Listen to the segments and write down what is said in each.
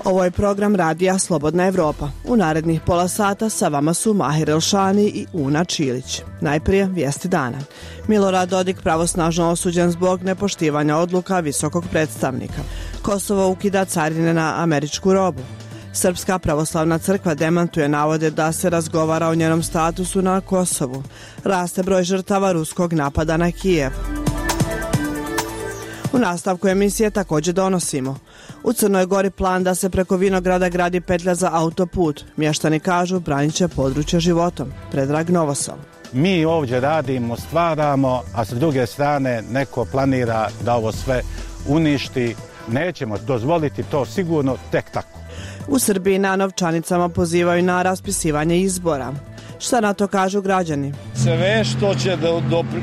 Ovo je program radija Slobodna Evropa. U narednih pola sata sa vama su Mahir Elšani i Una Čilić. Najprije vijesti dana. Milorad Dodik pravosnažno osuđen zbog nepoštivanja odluka visokog predstavnika. Kosovo ukida carine na američku robu. Srpska pravoslavna crkva demantuje navode da se razgovara o njenom statusu na Kosovu. Raste broj žrtava ruskog napada na Kijev. U nastavku emisije također donosimo. U Crnoj Gori plan da se preko Vinograda gradi petlja za autoput. Mještani kažu branit će područje životom. Predrag Novosel. Mi ovdje radimo, stvaramo, a s druge strane neko planira da ovo sve uništi. Nećemo dozvoliti to sigurno tek tako. U Srbiji na novčanicama pozivaju na raspisivanje izbora. Šta na to kažu građani? Sve što će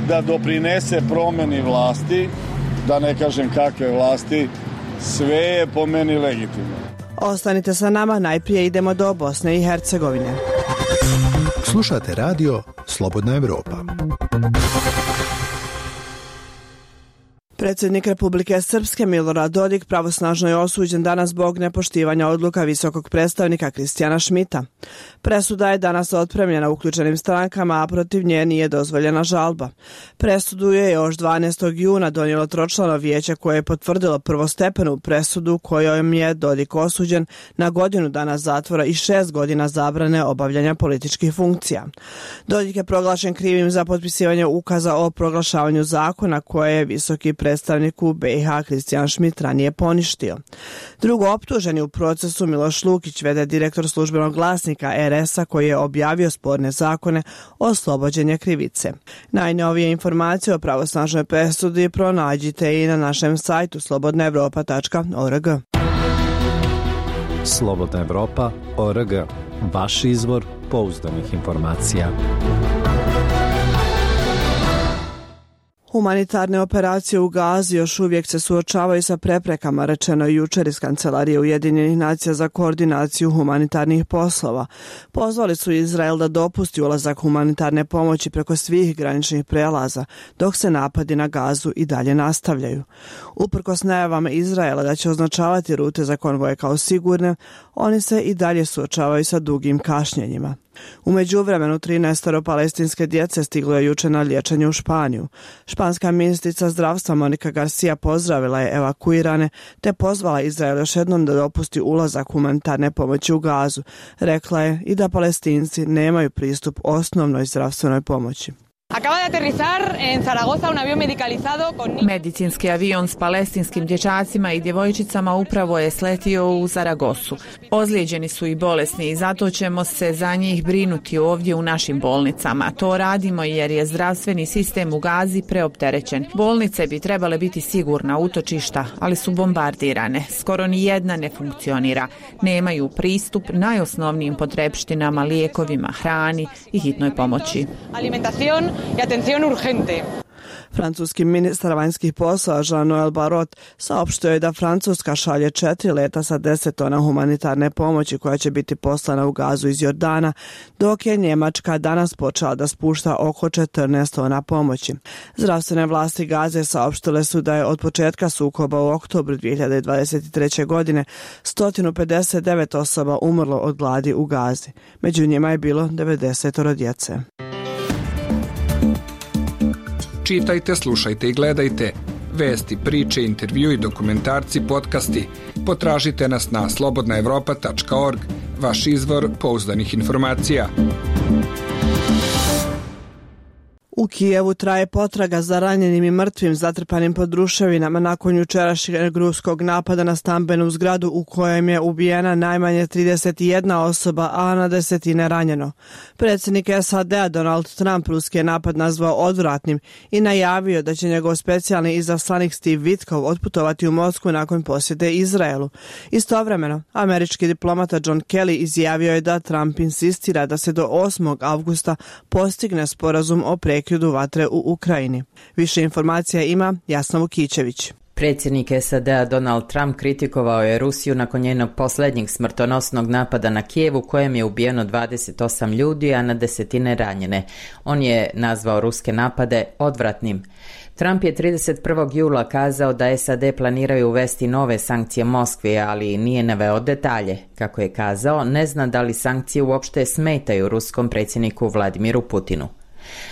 da doprinese promjeni vlasti, da ne kažem kakve vlasti, sve je po meni legitimno. Ostanite sa nama, najprije idemo do Bosne i Hercegovine. Slušate radio Slobodna Evropa. Predsjednik Republike Srpske Milorad Dodik pravosnažno je osuđen danas zbog nepoštivanja odluka visokog predstavnika Kristijana Šmita. Presuda je danas otpremljena uključenim strankama, a protiv nje nije dozvoljena žalba. Presudu je još 12. juna donijelo tročlano vijeće koje je potvrdilo prvostepenu presudu kojom je Dodik osuđen na godinu dana zatvora i 6 godina zabrane obavljanja političkih funkcija. Dodik je proglašen krivim za potpisivanje ukaza o proglašavanju zakona koje je visoki predstavniku BiH Kristijan Šmit ranije poništio. Drugo optuženi u procesu Miloš Lukić, v.d. direktor službenog glasnika RS-a koji je objavio sporne zakone, oslobođen je krivice. Najnovije informacije o pravosnažnoj presudi pronađite i na našem sajtu slobodnaevropa.org. Slobodna Evropa.org. Vaš izvor pouzdanih informacija. Humanitarne operacije u Gazi još uvijek se suočavaju sa preprekama, rečeno je jučer iz Kancelarije Ujedinjenih nacija za koordinaciju humanitarnih poslova. Pozvali su Izrael da dopusti ulazak humanitarne pomoći preko svih graničnih prelaza, dok se napadi na Gazu i dalje nastavljaju. Uprkos najavama Izraela da će označavati rute za konvoje kao sigurne, oni se i dalje suočavaju sa dugim kašnjenjima. U međuvremenu 13 palestinske djece stiglo je jučer na liječenje u Španiju. Španska ministrica zdravstva Monika Garcia pozdravila je evakuirane te pozvala Izrael još jednom da dopusti ulazak humanitarne pomoći u Gazu. Rekla je i da Palestinci nemaju pristup osnovnoj zdravstvenoj pomoći. Acaba de aterrizar en Zaragoza un avión medicalizado con... Medicinski avion s palestinskim dječacima i djevojčicama upravo je sletio u Zaragozu. Ozlijeđeni su i bolesni i zato ćemo se za njih brinuti ovdje u našim bolnicama. To radimo jer je zdravstveni sistem u Gazi preopterećen. Bolnice bi trebale biti sigurna utočišta, ali su bombardirane. Skoro ni jedna ne funkcionira. Nemaju pristup najosnovnijim potrepštinama, lijekovima, hrani i hitnoj pomoći. Alimentación i atención urgente. Francuski ministar vanjskih poslova Jean-Noël Barrot saopštio je da Francuska šalje 4 leta sa 10 tona humanitarne pomoći koja će biti poslana u Gazu iz Jordana, dok je Njemačka danas počela da spušta oko 14 tona pomoći. Zdravstvene vlasti Gaze saopštile su da je od početka sukoba u oktobru 2023. godine 159 osoba umrlo od gladi u Gazi. Među njima je bilo 90 djece. Čitajte, slušajte i gledajte. Vesti, priče, intervju i dokumentarci, podcasti. Potražite nas na slobodnaevropa.org. Vaš izvor pouzdanih informacija. U Kijevu traje potraga za ranjenim i mrtvim zatrpanim pod ruševinama nakon jučerašnjeg ruskog napada na stambenu zgradu u kojem je ubijena najmanje 31 osoba, a na desetine ranjeno. Predsjednik SAD-a Donald Trump ruski je napad nazvao odvratnim i najavio da će njegov specijalni izaslanik Steve Witkoff otputovati u Moskvu nakon posjete Izraelu. Istovremeno, američki diplomata John Kelly izjavio je da Trump insistira da se do 8. avgusta postigne sporazum o prekidu vatre u Ukrajini. Više informacija ima Jasna Vukićević. Predsjednik SAD-a Donald Trump kritikovao je Rusiju nakon njenog posljednjeg smrtonosnog napada na Kijev u kojem je ubijeno 28 ljudi, a na desetine ranjene. On je nazvao ruske napade odvratnim. Trump je 31. jula kazao da SAD planiraju uvesti nove sankcije Moskvi, ali nije naveo detalje. Kako je kazao, ne zna da li sankcije uopšte smetaju ruskom predsjedniku Vladimiru Putinu.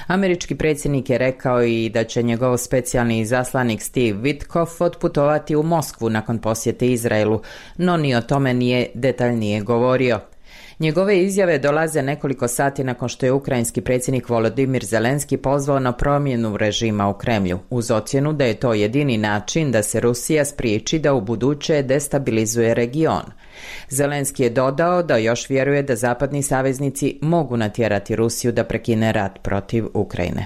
Američki predsjednik je rekao i da će njegov specijalni izaslanik Steve Witkoff otputovati u Moskvu nakon posjete Izraelu, no ni o tome nije detaljnije govorio. Njegove izjave dolaze nekoliko sati nakon što je ukrajinski predsjednik Volodymyr Zelenski pozvao na promjenu režima u Kremlju, uz ocjenu da je to jedini način da se Rusija spriječi da u buduće destabilizuje region. Zelenski je dodao da još vjeruje da zapadni saveznici mogu natjerati Rusiju da prekine rat protiv Ukrajine.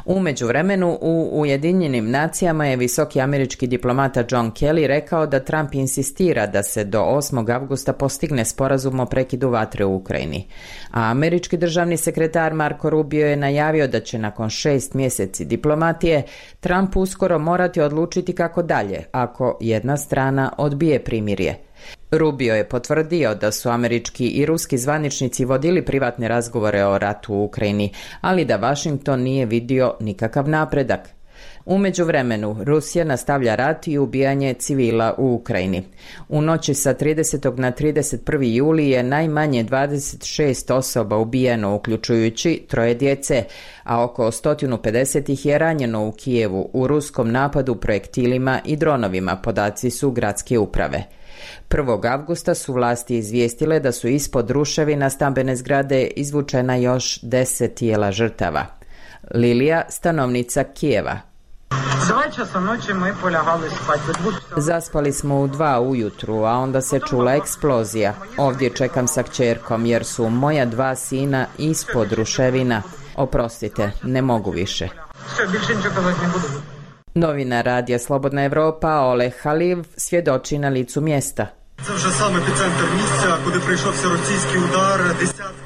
U međuvremenu u Ujedinjenim nacijama je visoki američki diplomata John Kelly rekao da Trump insistira da se do 8. avgusta postigne sporazum o prekidu vatre u Ukrajini. A američki državni sekretar Marco Rubio je najavio da će nakon 6 mjeseci diplomatije Trump uskoro morati odlučiti kako dalje ako jedna strana odbije primirje. Rubio je potvrdio da su američki i ruski zvaničnici vodili privatne razgovore o ratu u Ukrajini, ali da Washington nije vidio nikakav napredak. U međuvremenu, Rusija nastavlja rat i ubijanje civila u Ukrajini. U noći sa 30. na 31. juli je najmanje 26 osoba ubijeno, uključujući 3 djece, a oko 150 ih je ranjeno u Kijevu u ruskom napadu projektilima i dronovima, podaci su gradske uprave. 1. avgusta su vlasti izvijestile da su ispod ruševina stambene zgrade izvučena još 10 tijela žrtava. Lilija, stanovnica Kijeva. Zaspali smo u 2 ujutru, a onda se čula eksplozija. Ovdje čekam sa kćerkom jer su moja 2 sina ispod ruševina. Oprostite, ne mogu više. Novinar radija Slobodna Evropa Oleg Haliv svjedoči na licu mjesta.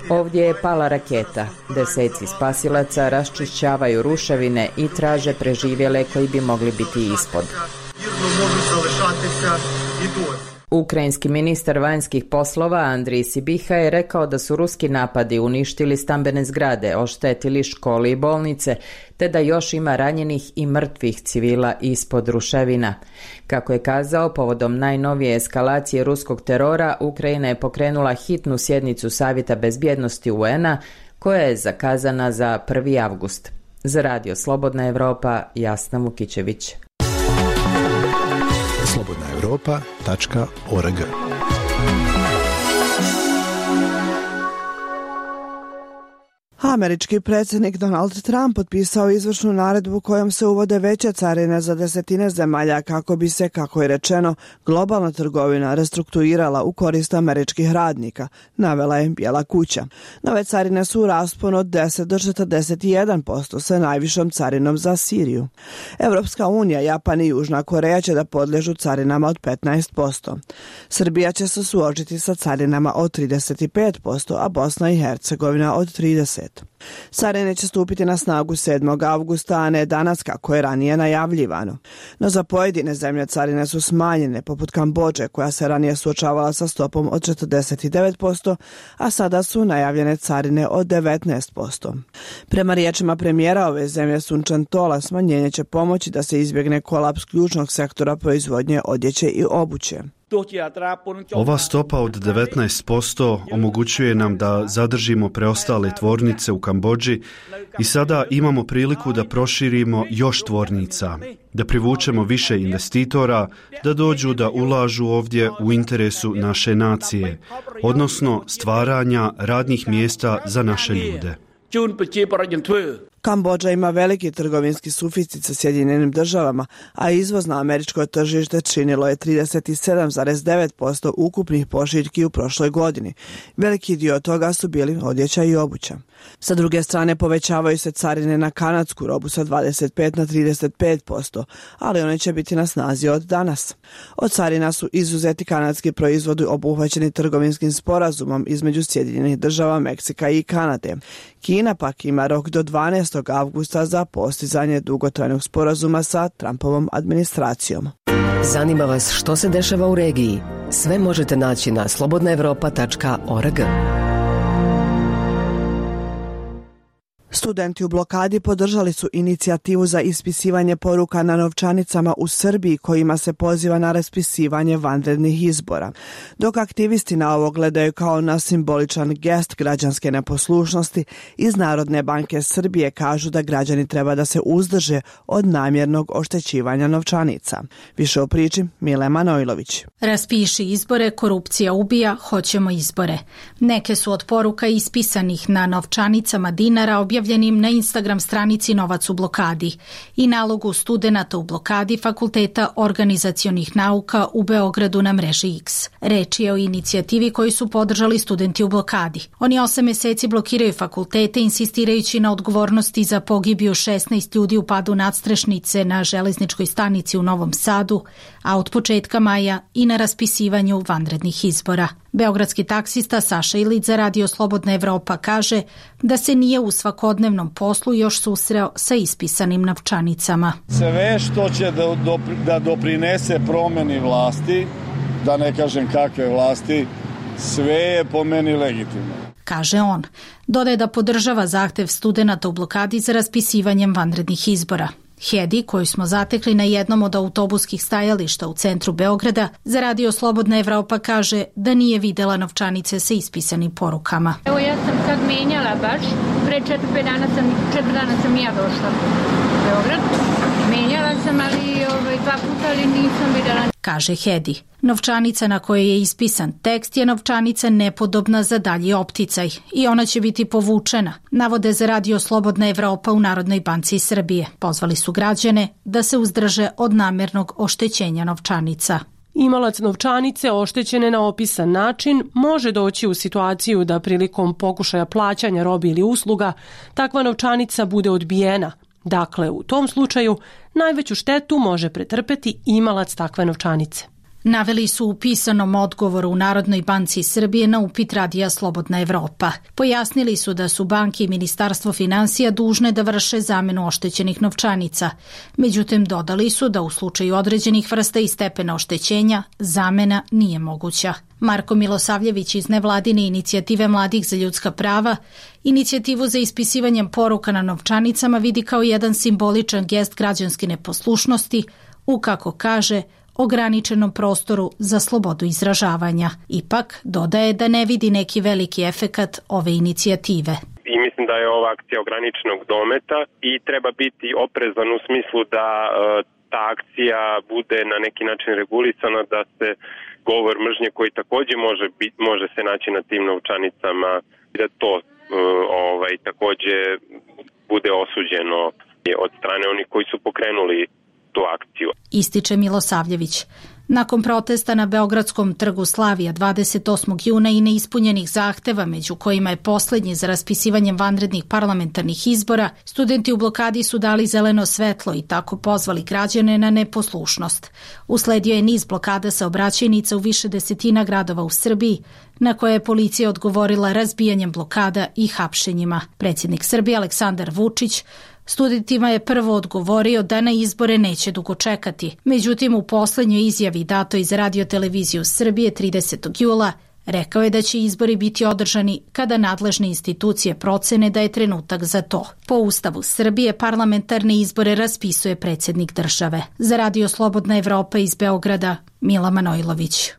Ovdje je pala raketa. Deseci spasilaca raščišćavaju ruševine i traže preživjele koji bi mogli biti ispod. Ukrajinski ministar vanjskih poslova Andrij Sibiha je rekao da su ruski napadi uništili stambene zgrade, oštetili škole i bolnice, te da još ima ranjenih i mrtvih civila ispod ruševina. Kako je kazao, povodom najnovije eskalacije ruskog terora, Ukrajina je pokrenula hitnu sjednicu Savjeta bezbjednosti UN-a, koja je zakazana za 1. avgust. Za radio Slobodna Evropa, Jasna Vukićević. slobodnaevropa.org. Američki predsjednik Donald Trump potpisao izvršnu naredbu kojom se uvode veće carine za desetine zemalja kako bi se, kako je rečeno, globalna trgovina restrukturirala u korist američkih radnika, navela je Bijela kuća. Nove carine su u rasponu od 10 do 41% sa najvišom carinom za Siriju. Evropska unija, Japan i Južna Koreja će da podliježu carinama od 15%. Srbija će se suočiti sa carinama od 35%, a Bosna i Hercegovina od 30%. Carine će stupiti na snagu 7. avgusta, a ne danas kako je ranije najavljivano. No za pojedine zemlje carine su smanjene, poput Kambodže koja se ranije suočavala sa stopom od 49%, a sada su najavljene carine od 19%. Prema riječima premijera ove zemlje Sunčan Tola, smanjenje će pomoći da se izbjegne kolaps ključnog sektora proizvodnje odjeće i obuće. Ova stopa od 19% omogućuje nam da zadržimo preostale tvornice u Kambodži i sada imamo priliku da proširimo još tvornica, da privučemo više investitora, da dođu da ulažu ovdje u interesu naše nacije, odnosno stvaranja radnih mjesta za naše ljude. Kambodža ima veliki trgovinski suficit sa Sjedinjenim državama, a izvoz na američko tržište činilo je 37,9% ukupnih pošiljki u prošloj godini. Veliki dio toga su bili odjeća i obuća. Sa druge strane povećavaju se carine na kanadsku robu sa 25 na 35%, ali one će biti na snazi od danas. Od carina su izuzeti kanadski proizvodi obuhvaćeni trgovinskim sporazumom između Sjedinjenih država, Meksika i Kanade. Kina pak ima rok do 12. 6. avgusta za postizanje dugotrajnog sporazuma sa Trumpovom administracijom. Zanima vas što se dešava u regiji? Sve možete naći na slobodnaevropa.org. Studenti u blokadi podržali su inicijativu za ispisivanje poruka na novčanicama u Srbiji kojima se poziva na raspisivanje vanrednih izbora. Dok aktivisti na ovo gledaju kao na simboličan gest građanske neposlušnosti, iz Narodne banke Srbije kažu da građani treba da se uzdrže od namjernog oštećivanja novčanica. Više o priči Mile Manojlović. Raspiši izbore, korupcija ubija, hoćemo izbore. Neke su od poruka ispisanih na novčanicama dinara objavljenim na Instagram stranici Novac u blokadi i nalogu studenata u blokadi Fakulteta organizacionih nauka u Beogradu na mreži X. Reč je o inicijativi koju su podržali studenti u blokadi. Oni 8 meseci blokiraju fakultete insistirajući na odgovornosti za pogibiju 16 ljudi u padu nadstrešnice na železničkoj stanici u Novom Sadu, a od početka maja i na raspisivanju vanrednih izbora. Beogradski taksista Saša Ilić za Radio Slobodna Evropa kaže da se nije u svakodnevnom poslu još susreo sa ispisanim novčanicama. Sve što će da doprinese promeni vlasti, da ne kažem kakve vlasti, sve je po meni legitimno. Kaže on. Dodaje da podržava zahtev studenata u blokadi za raspisivanjem vanrednih izbora. Hedi, koju smo zatekli na jednom od autobuskih stajališta u centru Beograda, za Radio Slobodna Evropa kaže da nije videla novčanice sa ispisanim porukama. Evo ja sam sad menjala baš, pre 4 dana sam ja došla u Beograd. Menjala sam, ali 2 puta, ali nisam videla. Kaže Hedi. Novčanica na kojoj je ispisan tekst je novčanica nepodobna za dalji opticaj i ona će biti povučena, navode za Radio Slobodna Evropa u Narodnoj banci Srbije. Pozvali su građane da se uzdrže od namjernog oštećenja novčanica. Imalac novčanice oštećene na opisan način može doći u situaciju da prilikom pokušaja plaćanja robe ili usluga takva novčanica bude odbijena. Dakle, u tom slučaju najveću štetu može pretrpeti imalac takve novčanice. Naveli su u pisanom odgovoru u Narodnoj banci Srbije na upit Radija Slobodna Evropa. Pojasnili su da su banke i Ministarstvo finansija dužne da vrše zamenu oštećenih novčanica. Međutim, dodali su da u slučaju određenih vrsta i stepena oštećenja zamena nije moguća. Marko Milosavljević iz nevladine inicijative Mladih za ljudska prava inicijativu za ispisivanjem poruka na novčanicama vidi kao jedan simboličan gest građanske neposlušnosti u, kako kaže, ograničenom prostoru za slobodu izražavanja. Ipak, dodaje da ne vidi neki veliki efekat ove inicijative. I mislim da je ova akcija ograničenog dometa i treba biti oprezan u smislu da ta akcija bude na neki način regulisana, da se govor mržnje koji također može se naći na tim novčanicama, da to također bude osuđeno od strane onih koji su pokrenuli tu akciju. Ističe Milosavljević. Nakon protesta na Beogradskom trgu Slavija 28. juna i neispunjenih zahteva, među kojima je posljednji za raspisivanjem vanrednih parlamentarnih izbora, studenti u blokadi su dali zeleno svetlo i tako pozvali građane na neposlušnost. Usledio je niz blokada saobraćajnica u više desetina gradova u Srbiji, na koje je policija odgovorila razbijanjem blokada i hapšenjima. Predsjednik Srbije Aleksandar Vučić studentima je prvo odgovorio da na izbore neće dugo čekati. Međutim, u posljednjoj izjavi datoj za Radio-televiziju Srbije 30. jula rekao je da će izbori biti održani kada nadležne institucije procene da je trenutak za to. Po Ustavu Srbije parlamentarne izbore raspisuje predsjednik države. Za Radio Slobodna Evropa iz Beograda, Mila Manojlović.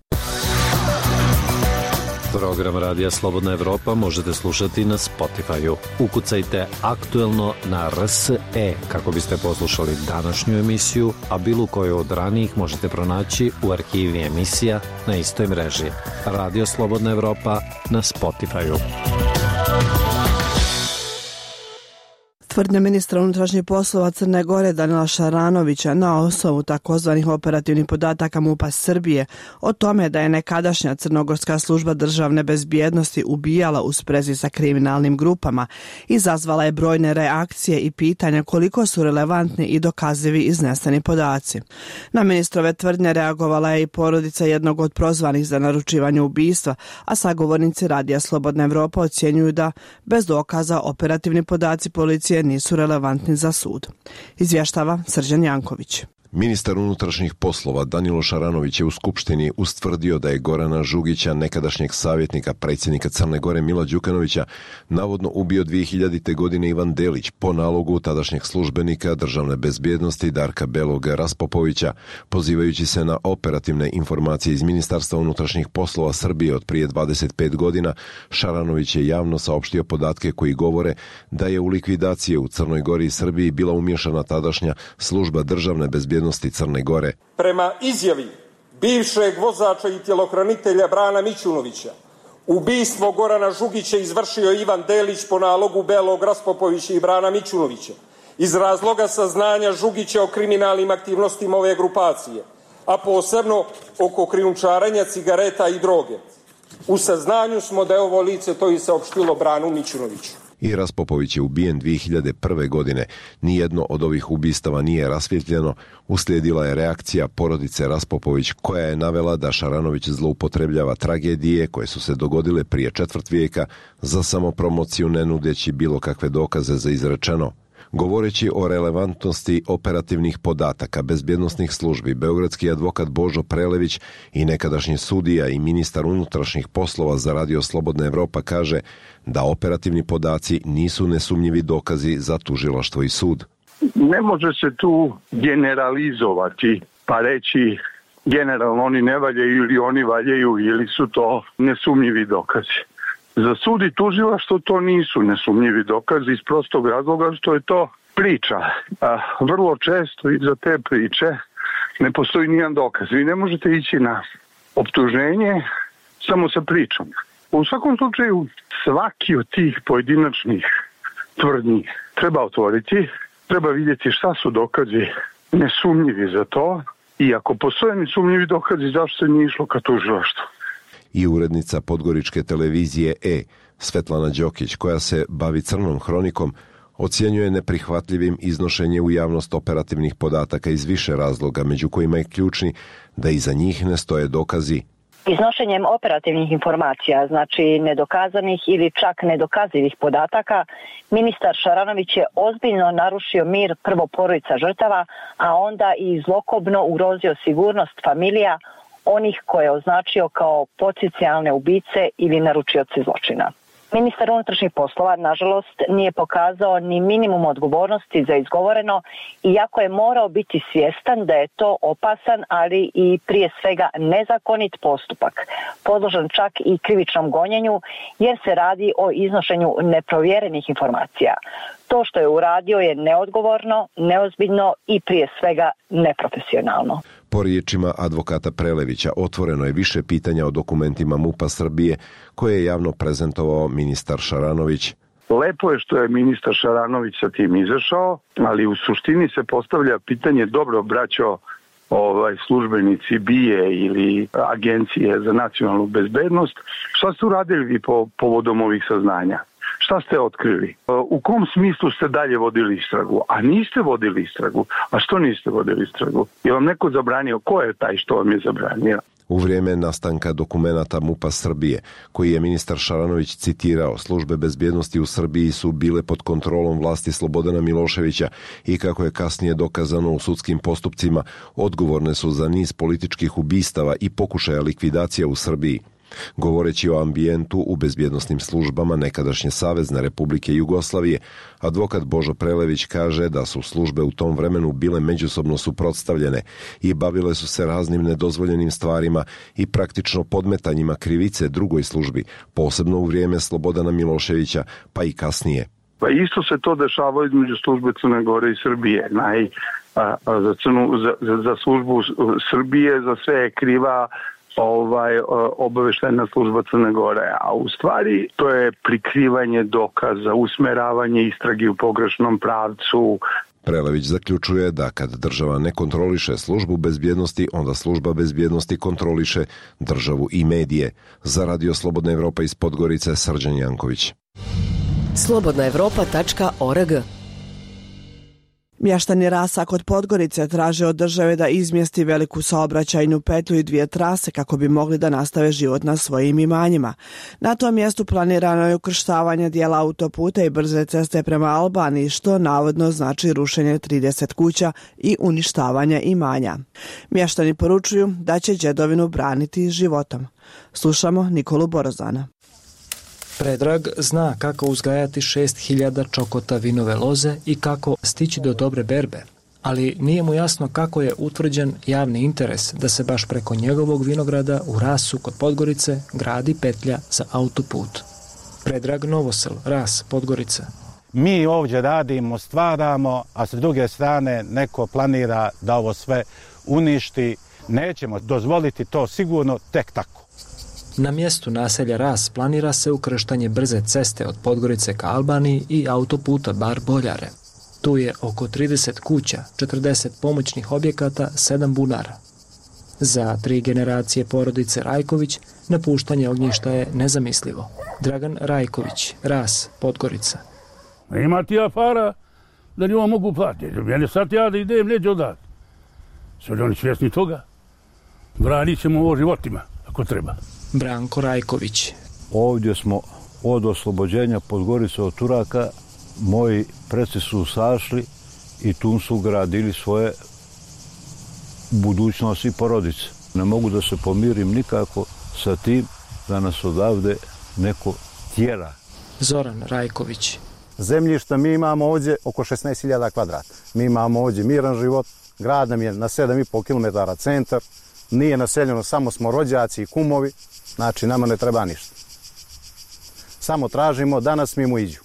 Program Radija Slobodna Evropa možete slušati na Spotify-u. Ukucajte aktuelno na RSE kako biste poslušali današnju emisiju, a bilo koju od ranijih možete pronaći u arhivi emisija na istoj mreži. Radio Slobodna Evropa na Spotify-u. Tvrdnja ministra unutrašnjih poslova Crne Gore Danila Šaranovića na osnovu takozvanih operativnih podataka MUP-a Srbije o tome da je nekadašnja crnogorska služba državne bezbjednosti ubijala u sprezi sa kriminalnim grupama izazvala je brojne reakcije i pitanja koliko su relevantni i dokazivi izneseni podaci. Na ministrove tvrdnje reagovala je i porodica jednog od prozvanih za naručivanje ubistva, a sagovornici Radija Slobodna Evropa ocjenjuju da bez dokaza operativni podaci policije jer nisu relevantni za sud. Izvještava Srđan Janković. Ministar unutrašnjih poslova Danilo Šaranović je u Skupštini ustvrdio da je Gorana Žugića, nekadašnjeg savjetnika predsjednika Crne Gore Mila Đukanovića, navodno ubio 2000. godine Ivan Delić po nalogu tadašnjeg službenika državne bezbjednosti Darka Belog Raspopovića, pozivajući se na operativne informacije iz Ministarstva unutrašnjih poslova Srbije od prije 25 godina. Šaranović je javno saopštio podatke koji govore da je u likvidacije u Crnoj Gori i Srbiji bila umiješana tadašnja služba državne bezbjednosti Crne Gore. Prema izjavi bivšeg vozača i tjelohranitelja Brana Mićunovića, ubistvo Gorana Žugića izvršio Ivan Delić po nalogu Belog Raspopovića i Brana Mićunovića iz razloga saznanja Žugića o kriminalnim aktivnostima ove grupacije, a posebno oko krijumčarenja cigareta i droge. U saznanju smo da je ovo lice to i saopštilo Branu Mićunoviću. I Raspopović je ubijen 2001. godine. Nijedno od ovih ubistava nije rasvjetljeno. Uslijedila je reakcija porodice Raspopović koja je navela da Šaranović zloupotrebljava tragedije koje su se dogodile prije četvrt vijeka za samopromociju, ne nudeći bilo kakve dokaze za izrečeno. Govoreći o relevantnosti operativnih podataka bezbjednosnih službi, beogradski advokat Božo Prelević i nekadašnji sudija i ministar unutrašnjih poslova za Radio Slobodna Evropa kaže da operativni podaci nisu nesumnjivi dokazi za tužilaštvo i sud. Ne može se tu generalizovati pa reći generalno oni ne valjaju ili oni valjaju ili su to nesumnjivi dokazi. Za sud i tužilaštvo to nisu nesumnjivi dokazi iz prostog razloga što je to priča. Vrlo često iza te priče ne postoji nijedan dokaz. Vi ne možete ići na optuženje samo sa pričom. U svakom slučaju svaki od tih pojedinačnih tvrdnji treba otvoriti, treba vidjeti šta su dokazi nesumnjivi za to i ako postoje nesumnjivi dokazi zašto se nije išlo ka tužilaštvu. I urednica podgoričke televizije Svetlana Đokić, koja se bavi crnom hronikom, ocjenjuje neprihvatljivim iznošenje u javnost operativnih podataka iz više razloga, među kojima je ključni da iza njih ne stoje dokazi. Iznošenjem operativnih informacija, znači nedokazanih ili čak nedokazivih podataka, ministar Šaranović je ozbiljno narušio mir prvo porodica žrtava, a onda i zlokobno ugrozio sigurnost familija onih koje je označio kao potencijalne ubice ili naručioci zločina. Ministar unutrašnjih poslova, nažalost, nije pokazao ni minimum odgovornosti za izgovoreno, iako je morao biti svjestan da je to opasan, ali i prije svega nezakonit postupak, podložan čak i krivičnom gonjenju, jer se radi o iznošenju neprovjerenih informacija. To što je uradio je neodgovorno, neozbiljno i prije svega neprofesionalno. Po riječima advokata Prelevića, otvoreno je više pitanja o dokumentima MUP-a Srbije koje je javno prezentovao ministar Šaranović. Lepo je što je ministar Šaranović sa tim izašao, ali u suštini se postavlja pitanje, dobro braćo, službenici BIA ili Agencije za nacionalnu bezbednost, šta ste uradili vi povodom ovih saznanja? Šta ste otkrili? U kom smislu ste dalje vodili istragu? A niste vodili istragu. A što niste vodili istragu? Je vam neko zabranio? Ko je taj što vam je zabranio? U vrijeme nastanka dokumenata MUP-a Srbije, koji je ministar Šaranović citirao, službe bezbjednosti u Srbiji su bile pod kontrolom vlasti Slobodana Miloševića i, kako je kasnije dokazano u sudskim postupcima, odgovorne su za niz političkih ubistava i pokušaja likvidacija u Srbiji. Govoreći o ambijentu u bezbjednosnim službama nekadašnje Savezne Republike Jugoslavije, advokat Božo Prelević kaže da su službe u tom vremenu bile međusobno suprotstavljene i bavile su se raznim nedozvoljenim stvarima i praktično podmetanjima krivice drugoj službi, posebno u vrijeme Slobodana Miloševića, pa i kasnije. Pa isto se to dešava između službe Crne Gore i Srbije. Za službu Srbije za sve je kriva obaveštajna služba Crne Gore, a u stvari to je prikrivanje dokaza, usmeravanje istrage u pogrešnom pravcu. Prelević zaključuje da kad država ne kontroliše službu bezbjednosti, onda služba bezbjednosti kontroliše državu i medije. Za Radio Slobodna Evropa iz Podgorice, Srđan Janković. slobodnaevropa.org. Mještani Rasa kod Podgorice traže od države da izmjesti veliku saobraćajnu petlju i 2 trase kako bi mogli da nastave život na svojim imanjima. Na tom mjestu planirano je ukrštavanje dijela autoputa i brze ceste prema Albaniji, što navodno znači rušenje 30 kuća i uništavanje imanja. Mještani poručuju da će đedovinu braniti životom. Slušamo Nikolu Borozana. Predrag zna kako uzgajati 6000 čokota vinove loze i kako stići do dobre berbe, ali nije mu jasno kako je utvrđen javni interes da se baš preko njegovog vinograda u Rasu kod Podgorice gradi petlja za autoput. Predrag Novosel, Ras, Podgorica. Mi ovdje radimo, stvaramo, a s druge strane neko planira da ovo sve uništi. Nećemo dozvoliti to sigurno tek tako. Na mjestu naselja Ras planira se ukrštanje brze ceste od Podgorice ka Albaniji i autoputa Bar-Boljare. Tu je oko 30 kuća, 40 pomoćnih objekata, 7 bunara. Za 3 generacije porodice Rajković napuštanje ognjišta je nezamislivo. Dragan Rajković, Ras, Podgorica. Ima ti ja para da njima mogu platiti. Mene sad ja da idem neđe odat. Sve li oni svjesni toga? Branit ćemo ovo životima, ako treba. Branko Rajković. Ovdje smo od oslobođenja Podgorice od Turaka, moji preci su sašli i tu su gradili svoje budućnosti i porodice. Ne mogu da se pomirim nikako sa tim da nas odavde neko tjera. Zoran Rajković. Zemljišta mi imamo ovdje oko 16.000 kvadrata. Mi imamo ovdje miran život, grad nam je na 7,5 km centar, nije naseljeno, samo smo rođaci i kumovi, znači nama ne treba ništa. Samo tražimo da nas mimo iđu.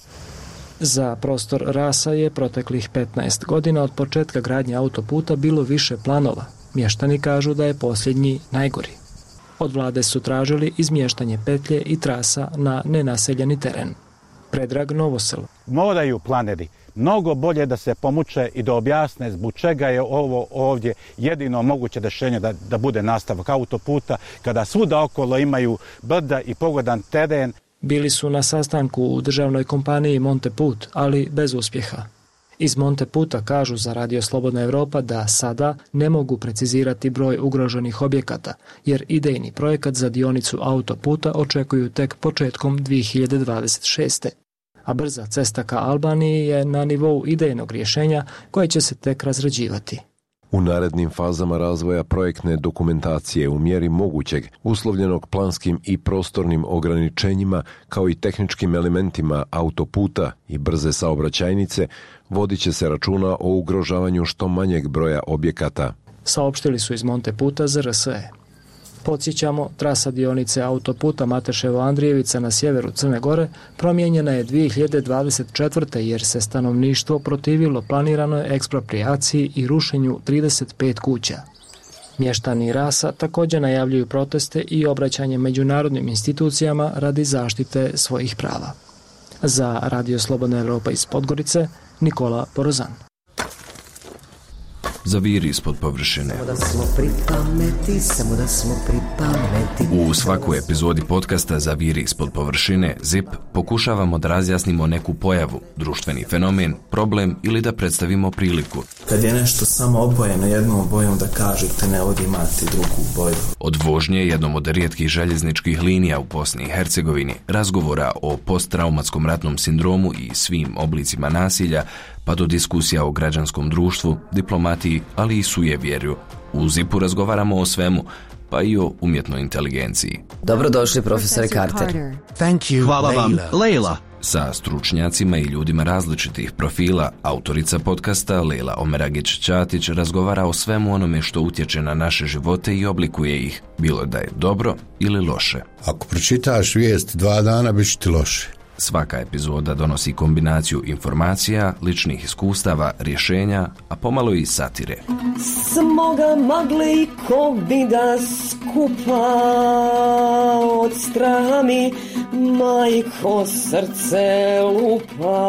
Za prostor Rasa je proteklih 15 godina od početka gradnje autoputa bilo više planova. Mještani kažu da je posljednji najgori. Od vlade su tražili izmještanje petlje i trasa na nenaseljeni teren. Predrag Novosel. Moraju planeri mnogo bolje da se pomuče i da objasne zbog čega je ovo ovdje jedino moguće rješenje da bude nastavak autoputa, kada svuda okolo imaju brda i pogodan teren. Bili su na sastanku u državnoj kompaniji Monteput, ali bez uspjeha. Iz Monteputa kažu za Radio Slobodna Evropa da sada ne mogu precizirati broj ugroženih objekata, jer idejni projekat za dionicu autoputa očekuju tek početkom 2026. A brza cesta ka Albaniji je na nivou idejnog rješenja koje će se tek razrađivati. U narednim fazama razvoja projektne dokumentacije u mjeri mogućeg, uslovljenog planskim i prostornim ograničenjima, kao i tehničkim elementima autoputa i brze saobraćajnice, vodit će se računa o ugrožavanju što manjeg broja objekata. Saopštili su iz Monteputa za RSE. Podsjećamo, trasa dionice autoputa Mateševo-Andrijevica na sjeveru Crne Gore promijenjena je 2024. jer se stanovništvo protivilo planiranoj eksproprijaciji i rušenju 35 kuća. Mještani Rasa također najavljuju proteste i obraćanje međunarodnim institucijama radi zaštite svojih prava. Za Radio Slobodna Evropa iz Podgorice, Nikola Borozan. Zaviri ispod površine. U svakoj epizodi podcasta Zaviri ispod površine, ZIP, pokušavamo da razjasnimo neku pojavu, društveni fenomen, problem ili da predstavimo priliku. Kad je nešto samo obojeno jednom bojom, da kažete ne ovdje imate drugu boju. Od vožnje jednom od rijetkih željezničkih linija u Bosni i Hercegovini, razgovora o posttraumatskom ratnom sindromu i svim oblicima nasilja, pa do diskusija o građanskom društvu, diplomatiji, ali i sujevjerju. U ZIP-u razgovaramo o svemu, pa i o umjetnoj inteligenciji. Dobrodošli, profesore Carter. Thank you, hvala vam, Leila. Sa stručnjacima i ljudima različitih profila, autorica podcasta Leila Omeragić-Ćatić razgovara o svemu onome što utječe na naše živote i oblikuje ih, bilo da je dobro ili loše. Ako pročitaš vijest 2 dana, bit će ti loše. Svaka epizoda donosi kombinaciju informacija, ličnih iskustava, rješenja, a pomalo i satire. Smoga magle i kovida skupa od straha mi majko srce lupa.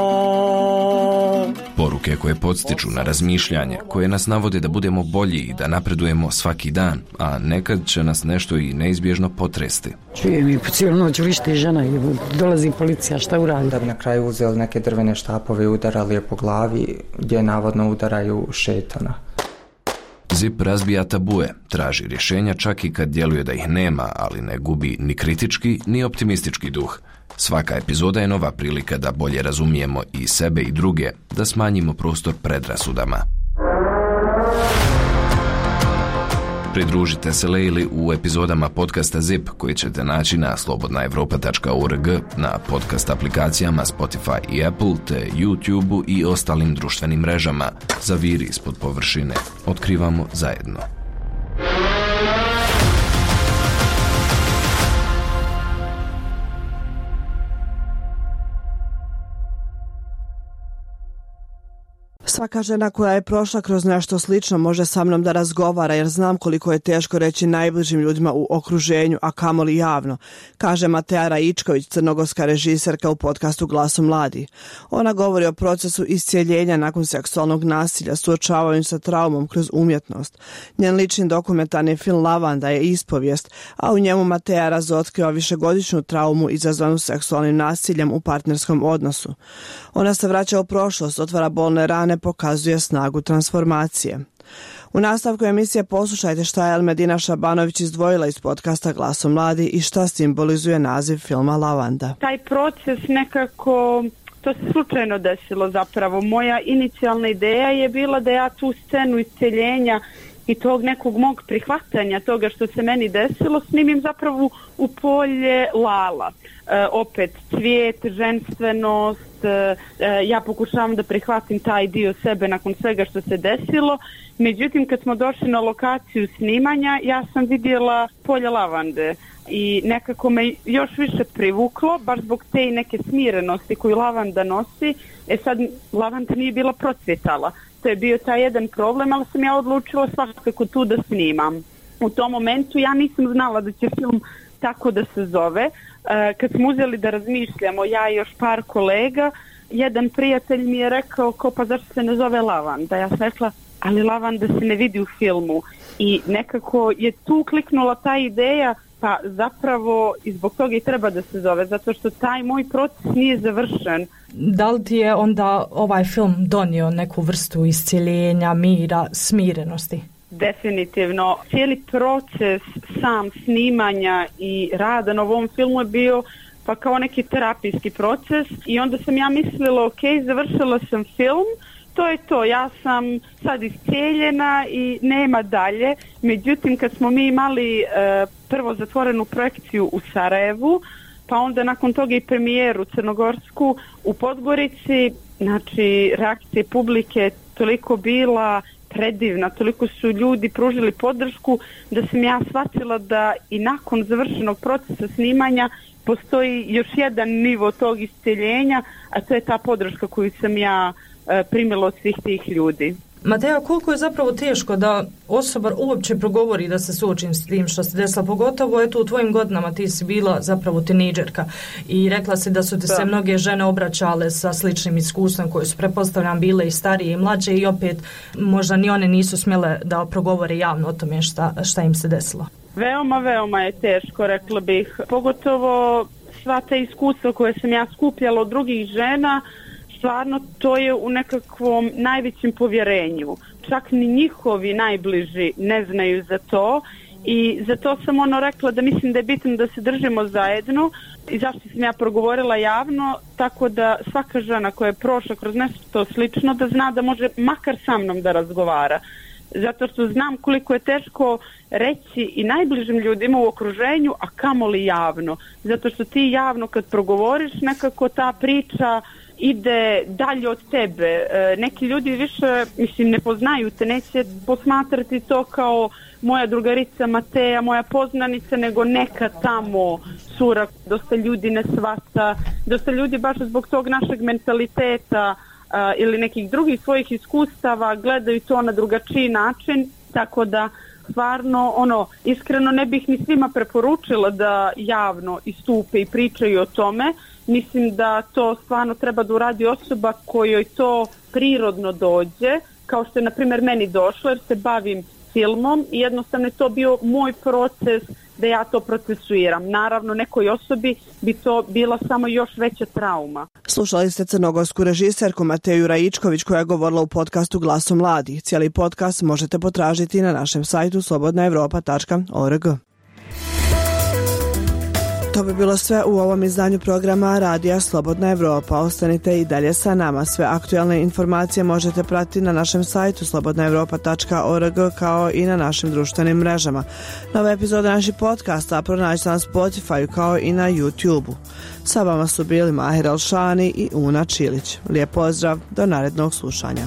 Poruke poruke koje podstiču na razmišljanje, koje nas navode da budemo bolji i da napredujemo svaki dan, a nekad će nas nešto i neizbježno potresti. Čujem i po cijelu noć vrište žena i dolazi policija, šta uradi? Da bi na kraju uzeli neke drvene štapove i udarali je po glavi, gdje navodno udaraju šetana. ZIP razbija tabue, traži rješenja čak i kad djeluje da ih nema, ali ne gubi ni kritički ni optimistički duh. Svaka epizoda je nova prilika da bolje razumijemo i sebe i druge, da smanjimo prostor predrasudama. Pridružite se Lejli u epizodama podcasta ZIP koji ćete naći na slobodnaevropa.org, na podcast aplikacijama Spotify i Apple, te YouTube i ostalim društvenim mrežama. Zaviri ispod površine. Otkrivamo zajedno. Svaka žena koja je prošla kroz nešto slično može sa mnom da razgovara jer znam koliko je teško reći najbližim ljudima u okruženju, a kamoli javno, kaže Mateja Raičković, crnogorska režiserka u podcastu Glasom mladi. Ona govori o procesu iscijeljenja nakon seksualnog nasilja, suočavanju sa traumom kroz umjetnost. Njen lični dokumentarni film Lavanda je ispovijest, a u njemu Mateja razotkriva višegodišnju traumu izazvanu seksualnim nasiljem u partnerskom odnosu. Ona se vraća u prošlost, otvara bolne rane, pokazuje snagu transformacije. U nastavku emisije poslušajte šta je Elmedina Šabanović izdvojila iz podcasta Glasom mladi i šta simbolizuje naziv filma Lavanda. Taj proces nekako, to se slučajno desilo zapravo. Moja inicijalna ideja je bila da ja tu scenu isceljenja i tog nekog mog prihvatanja toga što se meni desilo snimim zapravo u polje Lala. Opet cvijet, ženstvenost, ja pokušavam da prihvatim taj dio sebe nakon svega što se desilo. Međutim, kad smo došli na lokaciju snimanja, ja sam vidjela polje lavande i nekako me još više privuklo, baš zbog te i neke smirenosti koju lavanda nosi. Sad, lavanda nije bila procvjetala. To je bio taj jedan problem, ali sam ja odlučila svakako tu da snimam. U tom momentu ja nisam znala da će film tako da se zove. Kad smo uzeli da razmišljamo, ja i još par kolega, jedan prijatelj mi je rekao pa zašto se ne zove Lavanda? Ja sam rekla, ali lavanda se ne vidi u filmu. I nekako je tu kliknula ta ideja, pa zapravo i zbog toga i treba da se zove, zato što taj moj proces nije završen. Da li ti je onda ovaj film donio neku vrstu iscjeljenja, mira, smirenosti? Definitivno. Cijeli proces sam snimanja i rada na ovom filmu je bio pa kao neki terapijski proces i onda sam ja mislila, ok, završila sam film, to je to, ja sam sad iscijeljena i nema dalje. Međutim, kad smo mi imali prvo zatvorenu projekciju u Sarajevu, pa onda nakon toga i premijeru crnogorsku u Podgorici, znači reakcija publike toliko bila predivna, toliko su ljudi pružili podršku da sam ja shvatila da i nakon završenog procesa snimanja postoji još jedan nivo tog isceljenja, a to je ta podrška koju sam ja primila od svih tih ljudi. Mateja, koliko je zapravo teško da osoba uopće progovori da se suočim s tim što se desilo, pogotovo eto u tvojim godinama ti si bila zapravo tinejdžerka i rekla si da su ti se mnoge žene obraćale sa sličnim iskustvom koje su pretpostavljam bile i starije i mlađe i opet možda ni one nisu smjele da progovore javno o tome šta im se desilo. Veoma je teško, rekla bih, pogotovo sva ta iskustva koje sam ja skupljala od drugih žena. Stvarno to je u nekakvom najvećem povjerenju. Čak ni njihovi najbliži ne znaju za to i zato sam rekla da mislim da je bitno da se držimo zajedno i zašto sam ja progovorila javno, tako da svaka žena koja je prošla kroz nešto slično da zna da može makar sa mnom da razgovara. Zato što znam koliko je teško reći i najbližim ljudima u okruženju, a kamoli javno. Zato što ti javno kad progovoriš nekako ta priča ide dalje od tebe. Neki ljudi više, ne poznaju te, neće posmatrati to kao moja drugarica Mateja, moja poznanica, nego neka tamo cura. Dosta ljudi ne shvata, dosta ljudi baš zbog tog našeg mentaliteta ili nekih drugih svojih iskustava gledaju to na drugačiji način, tako da stvarno iskreno ne bih ni svima preporučila da javno istupe i pričaju o tome. Mislim da to stvarno treba da uradi osoba kojoj to prirodno dođe, kao što je na primjer meni došlo jer se bavim filmom i jednostavno je to bio moj proces da ja to procesuiram. Naravno, nekoj osobi bi to bila samo još veća trauma. Slušali ste crnogorsku režiserku Mateju Raičković koja je govorila u podcastu Glasom mladih. Cijeli podcast možete potražiti na našem sajtu slobodnaevropa.org. To bi bilo sve u ovom izdanju programa Radija Slobodna Evropa. Ostanite i dalje sa nama. Sve aktualne informacije možete pratiti na našem sajtu slobodnaevropa.org kao i na našim društvenim mrežama. Nove epizode naših podcasta pronađite na Spotify kao i na YouTube-u. Sa vama su bili Mahir Alšani i Una Čilić. Lijep pozdrav, do narednog slušanja.